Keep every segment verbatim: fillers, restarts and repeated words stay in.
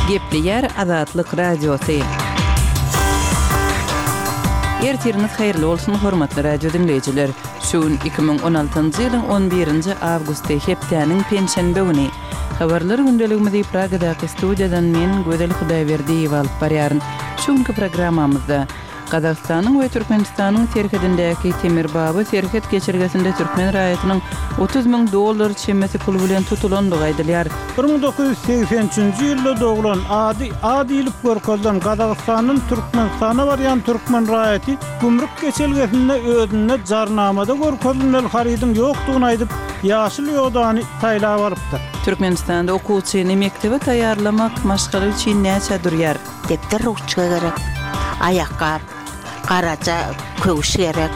Gepleýär Azatlyk Radiosy. Ertiriňiz haýyrly bolsun, hormatly radio diňleýjiler! Şu gün iki müň on altynjy ýylyň on birinji awgusty, hepdäniň penşenbe güni. Habarlar gündeligimizi Pragadaky studiýadan men, Gözel Hudaýberdiýewa alyp barýaryn. Şu günki programmamyzda Gazagystanyň we Türkmenistanyň serhedindäki Temirbaba serhet geçelgesinde türkmen raýatynyň otuz müň dollar çemesi pul bilen tutulandygy aýdylýar. Bir müň dokuz ýüz segsen üçünji ýylda doglan, ady A diýlip görkezilen Gazagystandan Türkmenistana barýan türkmen raýaty gümrük geçelgesinde özünde jarnamada görkezilmeli harydyň ýokdugyny aýdyp, ýaşyl ýodany saýlap alypdyr. Türkmenistanda okuwçyny mekdebe taýýarlamak maşgala üçin näçä durýar? Depder ruçka gerek, aýakgap, garaja köwüş gerek,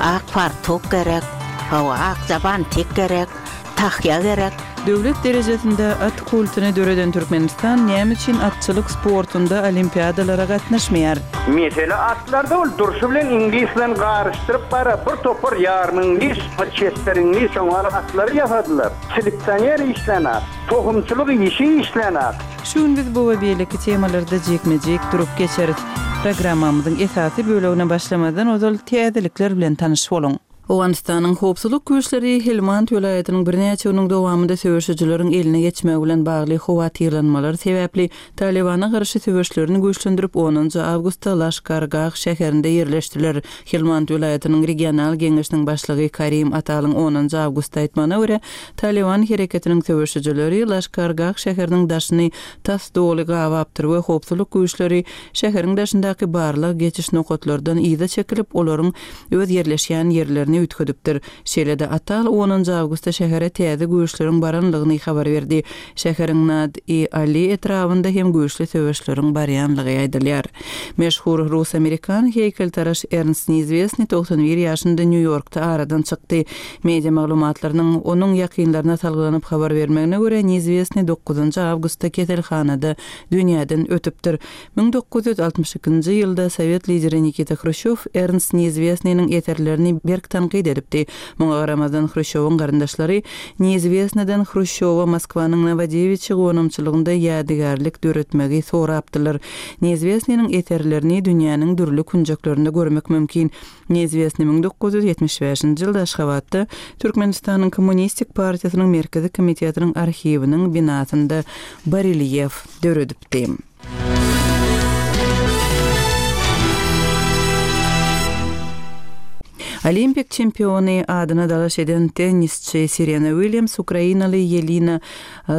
ak fartuk gerek, hawa, akja bantik gerek, tahýa gerek. Döwlet derejesinde at kultuny döreden Türkmenistan näme üçin atçylyk sportunda olimpiadalara gatnaşmaýar? Mesele atlarda ol durşy bilen iňlis bilen garyşdyryp bara bir topar ýarym iňlis, bir çetber iňlis şoňa atlary ýasadylar. Seleksioner işlän at, tohumçylyk işi işlän at. Şu gün biz bu we beýleki temalarda jikme-jik durup geçeris. Programmamyzyň esasy bölegine başlamazdan ozal täzelikler bilen tanyş boluň. Owganystanyň howpsuzlyk güýçleri Helmand welaýatynyň birnäçe günüň dowamynda söweşijileriň eline geçmegi bilen bagly howatyrlanmalar sebäpli Talibana garşy söweşlerini güýçlendirip onunjy awgustda Laşkargah şäherinde ýerleşdiler. Helmand welaýatynyň regional geňeşiniň başlygy Karim Atalyň onunjy awgustda aýtmagyna görä, Taliban hereketiniň söweşijileri Laşkargah şäheriniň daşyny tas doly gabapdyr we howpsuzlyk güýçleri şäheriň daşyndaky barlag geçiş nokatlardan yza çekilip, olaryň öz ýerleşýän ýerlerini üýtgedipdir. Şeýle-de Atal onunjy awgustda şähere täze güýçleriň baranlygyny habar berdi. Şäheriň Nad-i Ali etrabynda hem güýçli söweşleriň barýanlygy aýdylýar. Meşhur rus-amerikan heýkeltaraş Ernst Neizwestny togsan bir ýaşynda Nýu-Ýorkda aradan çykdy. Media maglumatlarynyň onuň ýakynlaryna salgylanyp habar bermegine görä Neizwestny dokuzynjy awgustda keselhanada dünýäden ötüpdir. Müň dokuz ýüz altmyş ikinji ýylda sowet lideri Nikita Hruşýow Ernst Neizwestnynyň eserlerini berk tankyt edipdi. Muňa garamazdan Hruşýowyň garyndaşlary Neizwestnydan Hruşýowa Moskwanyň Nowodewiçi gonamçylygynda ýadygärlik döretmegi sorapdylar. Neizwestnynyň eserlerini dünýäniň dürli künjeklerinde görmek mümkin. Neizwestny müň dokuz ýüz ýetmiş bäşinji ýylda Aşgabatda Türkmenistanyň Kommunistik partiýasynyň Merkezi komitetiniň arhiwiniň binasynda barelýef döredipdi. Olimpik çempiony adyna dalaş eden tennisçi Serena Williams Ukrainaly Yelena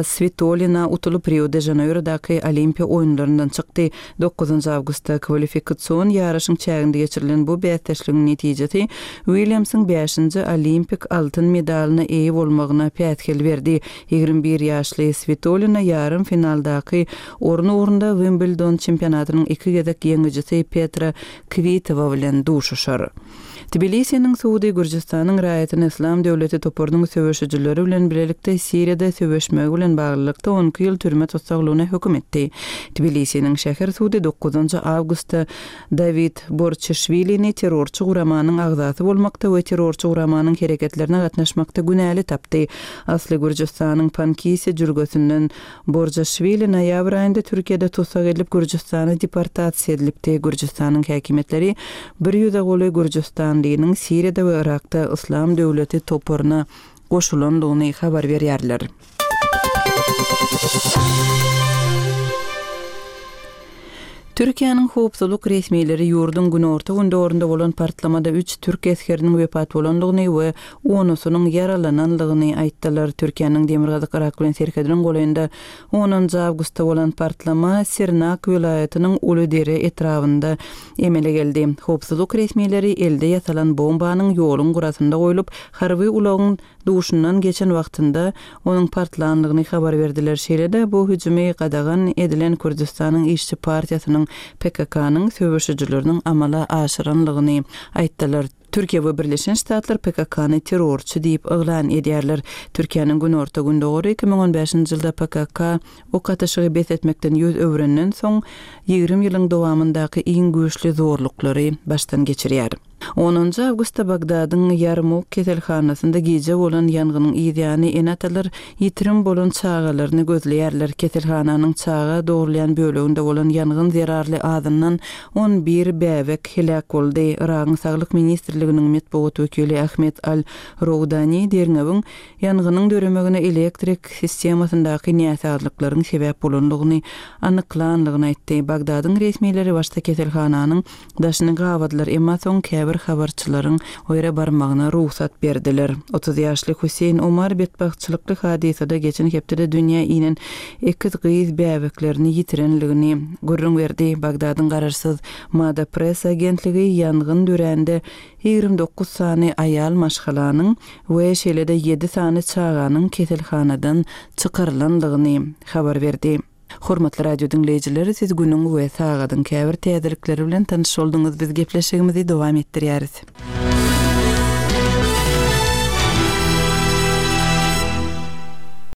Svitolina utulyp Rio de Janeirodaky Olimpiýa oýunlaryndan çykdy. Dokuzynjy awgustda kwalifikasion ýaryşyň çäginde geçirilen bu bäsdeşligiň netijesi Williamsyň bäşinji olimpik altyn medalyna eýe bolmagyna päsgel berdi. Ýigrimi bir ýaşly Svitolina ýarym finaldaky orun ugrunda Wimbledon çempionatynyň iki gezek ýeňijisi Petra Kvitova bilen duşuşar. Tbilisiniň sudy Gürjüstanyň raýatyny Islam döwleti toparynyň söweşijileri bilen bilelikde Siriýada söweşmegi bilen baglylykda on iki ýyl türme tussaglygyna höküm etdi. Tbilisiniň şäher sudy dokuzynjy awgustda Dawid Borçeşwilini terrorçy guramanyň agzasy bolmakda we terrorçy guramanyň hereketlerine gatnaşmakda günäli tapdy. Asly Gürjüstanyň Pankisi jülgesinden Borçeşwili noýabr aýynda Türkiýede tussag edilip Gürjüstana deportasiýa edilipdi. Gürjüstanyň häkimiýetleri bir ýüze golaý Gürjüstanlynyň Siriýada we Irakda Islam döwleti toparyna goşulandygyny habar berýärler. Türkiýäniň howpsuzlyk resmileri ýurduň günorta gündogunda bolan partlamada üç türk esgeriniň wepat bolandygyny we onusynyň ýaralanandygyny aýtdylar. Türkiýäniň Demirgazyk Irak bilen serhediniň golaýynda onunjy awgustda bolan partlama Sirnak welaýatynyň Uludere etrabynda emele geldi. Howpsuzlyk resmileri elde ýasalan bombanyň ýoluň gurasynda goýlup, harby ulagyň duşundan geçen wagtynda onuň partlandygyny habar berdiler. Şeýle-de bu hüjümi gadagan edilen Kürdistanyň İşçi partiýasynyň P K K-nyň söweşijileriniň amala aşyranlygyny aýtdylar. Türkiýe we Birleşen Ştatlar P K K-ny terrorçy diýip yglan edýärler. Türkiýäniň günorta gündogary iki müň on bäşinji ýylda P K K ok atyşygy bes etmekden ýüz öwrenden soň ýigrimi ýylyň dowamyndaky iň güýçli zorluklary başdan geçirýär. Onunjy awgustda Bagdadyň Ýarmuk keselhanasynda gije bolan ýangynyň yzýany ene-atalar ýitirim bolan çagalaryny gözleýärler. Keselhananyň çaga dogrulýan böleginde bolan ýangyn zerarly azyndan on bir bäbek heläk boldy. Yragyň Saglyk ministrliginiň metbugat wekili Ahmet Al-Rowdani derňewiň ýangynyň döremegine elektrik sistemasyndaky näsazlyklaryň sebäp bolandygyny anyklandygyny aýtdy. Bagdadyň resmileri başda keselhananyň daşyny gabadylar, emma soň käbir habarçylaryň o ýere barmagyna rugsat berdiler. Otuz ýaşly Hüseýin Omar betbagtçylykly hadysada geçen hepdede dünýä inen ekiz gyz bäbeklerini ýitirenligini gürrüň berdi. Bagdadyň garaşsyz Mada Press agentligi ýangyn dörände ýigrimi dokuz sany aýal maşgalanyň we şeýle-de ýedi sany çaganyň keselhanadan çykarylandygyny habar berdi. Hormatly radio diňleýjiler, siz günüň we sagadyň käbir täzelikleri bilen tanyş bolduňyz. Biz gepleşigimizi dowam etdirýäris.